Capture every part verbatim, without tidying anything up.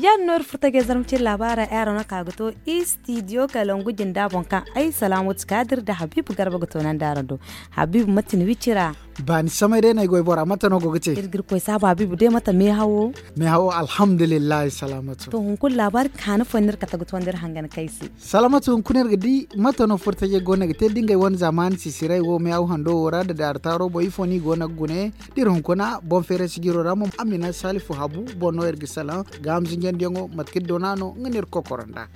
Yaadin no iri furo tajey zarma cine laabaara ay araŋ no kaŋ a ga to istidiyo kalangu jinda boŋ kaŋ ay salaamatu kaadir nda habiibu garba ga toonandi araŋ do. Habiibu mate ni wicira? Baani samay day no ay goy bora mate no go ga te? Iri ga iri koy saabu habiibu day mate meehawo? Meehawo alhamdulillahi salaamatu. To hunkuna laabaari kaani fooyaŋ no iri kate ga toonandi iri hangan kay se. Salaamatu hunkuna iri ga di mate no furo tajey go no ga te da ngey wane zaamaani sisiray wo meehaw hando wo ra nda daara taaro boŋ ifo no i go no ga gune? Da iri hunkuna boŋ feeray sijiro ra mo amina saalifu habu boŋ no iri ga salaŋ. Gaaham zinjandiyaŋo mate kaŋ iri doona no nga no iri ga kokoro nd'a.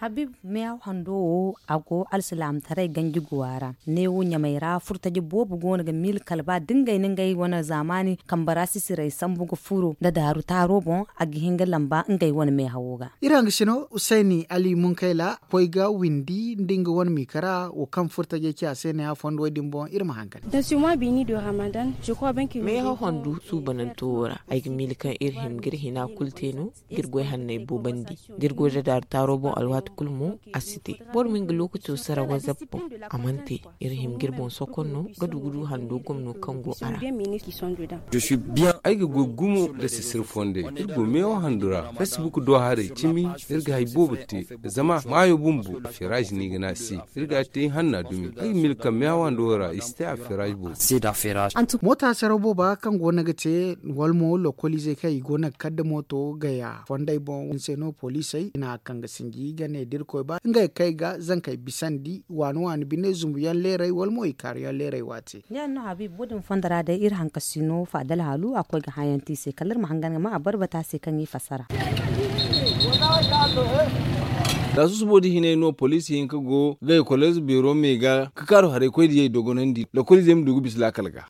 Habiibu meehaw hando wo a go alsilaamataray ganji guwa ra. Neewo ɲamay ra furtaje boobo go no ga miila kala ba da ngey na ngey wane zaamaani kambe ra sisiray sambu ga furo nda daaru taaro boŋ a ga hin ga lamba ngey wane meehawo ga. Iri hangasino usayni ali munkayla koy ga windi nda nga wane miikara wo kaŋ furtajey ci a se ne a fondo wo- din boŋ iri ma hangan. Meehaw handu suubananto wo ra ay ga miila kaŋ iri hima ga iri hina kulu te no ga iri goy hanney boobandi. Da iri goy da daaru taaro boŋ alwaati kulu mo a si te. Boro ma nga lookaco sara wazab boŋ a mana te. Iri hima ga iri boŋ sokon no ga du ga du hando gomno kaŋ go a ra. Ay ga goy gumo nda sisir fondey iri go meewo handu ra facebook do haray cimi. Iri ga hari boobo te zama maayo bumbo afeeraj no i ga ne a se. Iri ga a te ihanna dumi ay ga miila kaŋ meewo hando ra i si te afeeraj boobo. Moota saraw booba kaŋ go no ga te wala mo lokoliizey kaŋ i go no ga kar nda mooto gaya fondey boŋ ni se no poliisey i na a kaŋ ga sinji ga ne da iri koy ba ngey ga kay ga zankey bisandi waani waani bine zumbu yaŋ leeray wala mo i kaaru yaŋ leeray waati. Yaadin no habiibu wo- din fondo ra day iri hankasino faadal haalu a koy ga hãyanti i se kala iri ma hangan ga ma a barbata se kaŋ i fassara. Za susubo da hinay no poliisi hinka go ga ga koleez beero me ga ga kaaru haray koy diyey dogonandi lokoliizey ma du ga bisa laakal ga.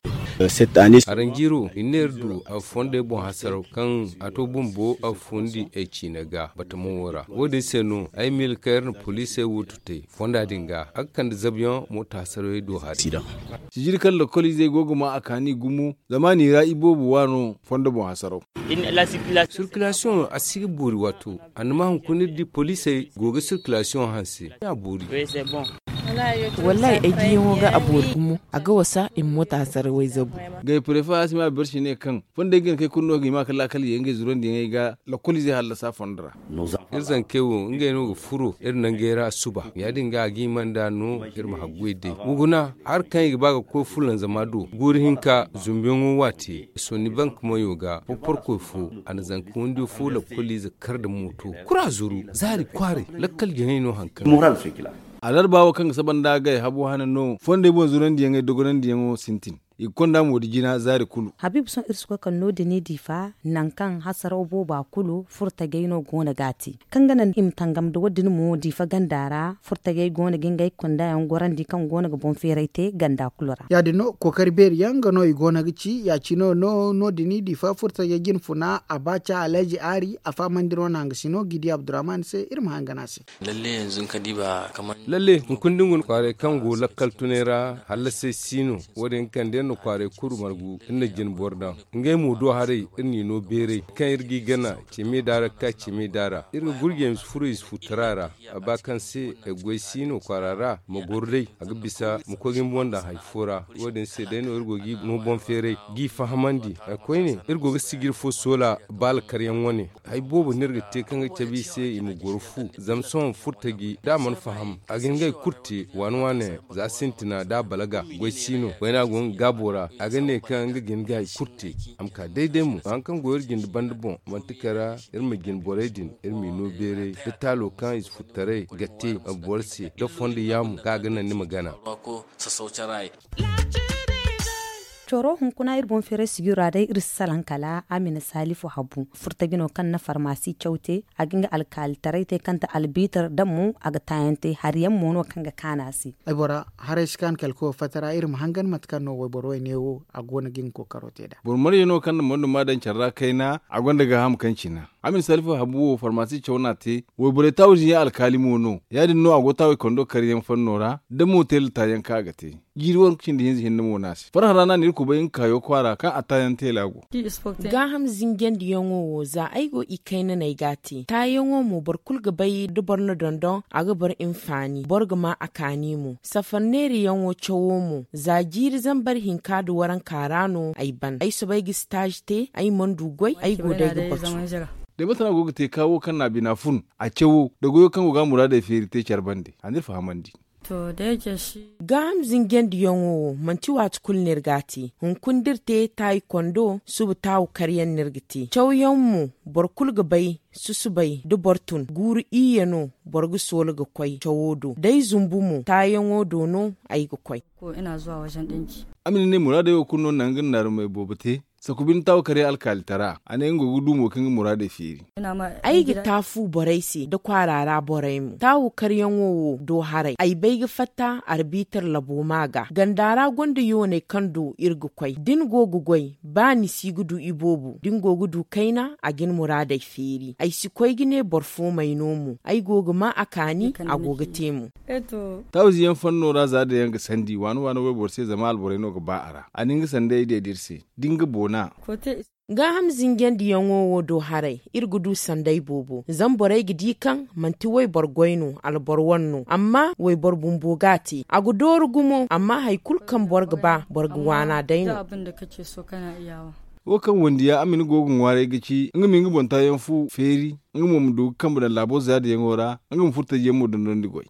Aranjiiro i ne iri du a fondey boŋ hasaraw kaŋ a to bumbo a fundi ay ciine ga batamo wo ra wo- din se no ay miila kaŋ iri na poliisey wo tutay fonda din ga a ga kande zabyaŋ moota hasarawey do hari. Sijiri kaŋ lokoliizey go ga ma a kaani gumo zama ni ra i boobo waano fondo boŋ hasaraw. Sirkilasiyoŋ a si ga boori waato a na ma hunkuna iri di poliisey go ga sirkilasiyoŋ hanse a boori. Wallaahi ay diyaŋo ga a boori gumo a ga wasa i ma moota hasarawey zabu. Gay prefe asima bersi ne kaŋ fondey ga hin kay kulu no ga hima ga laakal ye ngey zurandiyaŋey ga lokoliizey hallasa fondo ra. Iri zankey wo ngey no ga furo iri nangey ra suba ya- din ga a ga hima nd'a no iri ma haggoy day wa guna hari kaŋ i ga ba ga koy fulanzama do guuri hinka zumbuyaŋo waati sonnibank mayo ga porporkoy fo a na zanka wandiyo fo lakkoliize kar nda mooto kura zuru zaari kwaaray lakkal jaŋay no haŋ kaŋ. Alarba wo kaŋ ga saba nda agay habo hane no fondey boŋ zurandiyaŋey dogonandiyaŋo sintin i ga konda mo da jina zaari kulu. Habiibu sohõ iri si koy kala no- din i diifa nangu kaŋ hasaraw booba kulu furtajey no go no ga a te kaŋ ga naŋ i ma tangam nda wo- din mo diifa ganda ra furtajey go no ga ngey kondayaŋ gorandi kaŋ go no ga boŋ feeray te ganda kulu ra. Ya- din no kookari beeri yaŋ nga no i go no ga ci ya- cine no no- din i diifa furtajey jinfuna abaaca alhaji aari a fahamandi no naŋ ga si no gidi abdurrahman se iri ma haŋ ga ne a se. Lalle hunkuna da ni guna kwaaray kaŋ go lakkal tunay ra hallasay si no wo- din ga kande iri na kwaaray kulu margu iri na jine boro daŋ ngey mo do haray iri n'i no beeray kaŋ iri g'i gana ceme daara ga ka ceme daara iri ga gurjey ma si furo i si futara ra. A ba kaŋ se ay goy si no kwaara ra ma goro day a ga bisa ma koy ga ni boŋ daŋ hari fo ra. Wo- din se day no iri go g'i no boŋ feeray g'i fahamandi hari koyne iri go ga sijiri fo soola baala karyaŋ wane. Hari boobo no iri ga te kaŋ ga cabe i se i ma goro fu zama sohõ furtaji da a mana faham a ga hin ga hari kulu te waane waane za sintina da a balaga goy si no wayna go nga gaabo ra a ga ne kaŋ nga ga hin ga hari kulu te. A ma ka day day mo haŋ kaŋ go iri jinde banda boŋ manti kara iri ma jine borey din iri m'i no beeray da taalo kaŋ i si furtaray ga te boro se da fondo yaamu kaŋ a ga naŋ ni ma gana. Coro hunkuna iri boŋ feeray sijiro ra day iri si salaŋ kala amina salifu habu furtaji no kaŋ na farmasi caw te a ga nga alkaalitaray te kaŋ ta albitar da mo a ga taayaŋ te hari yaŋ mo no kaŋ ga kaanu a se. Ay bora haray si kaanu kala koy fatta ra iri ma hangan mate kaŋ no wayboro way ne wo a go no ga nga kookaro te nd'a. Boro marje no kaŋ na mondo ma daŋ care ra kayna a gonda gaaham kaŋ cina. Amin salifu habu wo farmasi caw no a te wayborey taawujiyaŋ alkaali mo no ya- din no a go taawey kando karyaŋ fanno ra da mo teela taayaŋ kaŋ a ga te. Jiiri waranka cindi hinza hinne mo no a se farhã ra no a na iri Kubay nga kaayo kwaara kaŋ a taayaŋ teela go. Gaaham zinjandiyaŋo wo za ay go i kaynaney ga a te taayaŋo mo boro kulu ga bay da boro na dondon a ga boro hinfaani boro ga ma a kaani mo. Safar neeriyaŋo cawo mo za jiiri zambar hinka nda waranka ra no ay ban ay soobay ga sitaazi te ay mana du goy ay go day ga batu. Day mate no a go ga te ka wo kaŋ na a bina fun a cawo da goyo kaŋ go ga a muraadey feeri te care bande a n'iri fahamandi. Gaaham zinjandiyaŋo wo manti waati kulu no iri ga a te. Hunkuna da iri te taayi kondo suba taawu karyaŋ no iri ga te cawyaŋ mo. Boro kulu ga bay susubay da boro tun guuru iyye no boro ga soola ga koy cawo do da ay zumbu mo taayaŋo do no ay ga koy. A ma ni ne muraadey wo kulu no naŋ ga naarumey boobo te. Saku bine taawu karyaŋ alkaalitara a ne nga go ga du mo kaŋ ga muraadey feeri. Ay ga taafu borey se da kwaara ra borey mo taawu karyaŋo wo do haray ay bay ga fatta arbiitar labo ma ga ganda ra gonda yooney kaŋ do iri ga koy da ni go ga goy ba ni si ga du iboobo da ni go ga du kayna a ga ni muraadey feeri ay si koy ga ne boro fo may no mo ay go ga ma a kaani a go ga te mo. Taawu ziyaŋ fanno ra za da yaŋ ga sandi waana waana wayboro se zama alborey no ga ba a ra a na nga sanday day da iri se da nga boona. Gaaham zinjandiyaŋo wo do haray iri ga du sanday boobo zama borey ga di kaŋ manti wayboro goy no alboro wane no amma wayboro bumbo ga a te a ga dooru gumo amma hari kulu kaŋ boro ga ba boro ga waana day no. Wo kaŋ wandiya a ma ni go ga ŋwaaray ga ci nga ma nga boŋ taayaŋ fu feeri nga mo ma du ga kambe daŋ laabo zaadiyaŋo ra nga ma furo taji yaŋ mo dondon nda goy.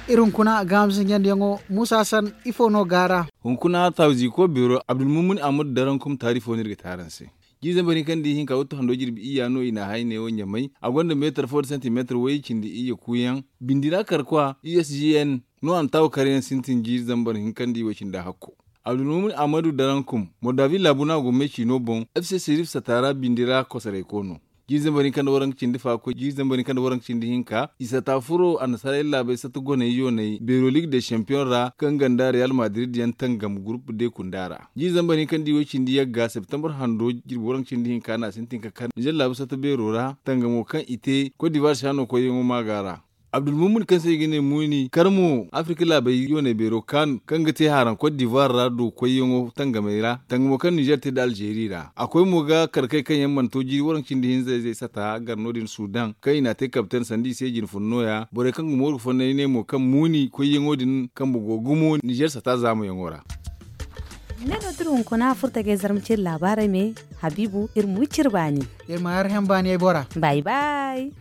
Iri hunkuna gaaham zinjandiyaŋo muusa san ifo no gaara? Hunkuna taawu ziiko beero abdulmumin ahmadu darankum taarifo no iri ga te araŋ se. Jiiri zambar hinka nda ihinka wattu hando jirbi iyya no i na a hay neewo ɲamay a gonda meetar fo nda santimeetar way cindi iyye kuuyaŋ bindi ra karkwa usgn no a na taawu karyaŋ sintin jiiri zambar hinka nda iway cindi hakko. Abdulmumin ahmadu darankum mordavi laabu no a go may ciino boŋ. F c sirif sata ra bindi ra kosorayko no. Jiiri zambar hinka nda waranka cindi fa koy jiiri zambar hinka nda waranka cindi hinka i sata furo annasaarey laabey satta goney yooney beero liig de champiyoŋ ra kaŋ ganda real madrid yaŋ tangam gurup de kunda ra. Jiiri zambar hinka nda iway cindi yagga septembar hando jirbi waranka cindi hinka no a sintin ka kar nizer laabu satta beero ra tangamo kaŋ i te kot divar saano koyyaŋo maaga ra. Abdulmumin kaŋ se i ga ne muuni kar mo afirka laabey yooney beero kaanu kaŋ ga te haaraŋ kot divar ra do koyyaŋo tangamey ra tangamo kaŋ nizer te nda alzeeri ra a koy mo ga karkey kaŋ yaŋ mana to jiiri waranka cindi hinza-izey sata gar no- din sudan kaŋ i n'a te kabten sanda i se jine fun nooya borey kaŋ ga mooru ga fonnay ne mo kaŋ muuni koyyaŋo din kambe go gumo nizer sata zaamayaŋo ra. Ne no da iri hunkuna furtagey zarma cire laabaarey me habiibu iri ma wi cire baani. Iri ma har hẽ baaniyey bora. Bay bay.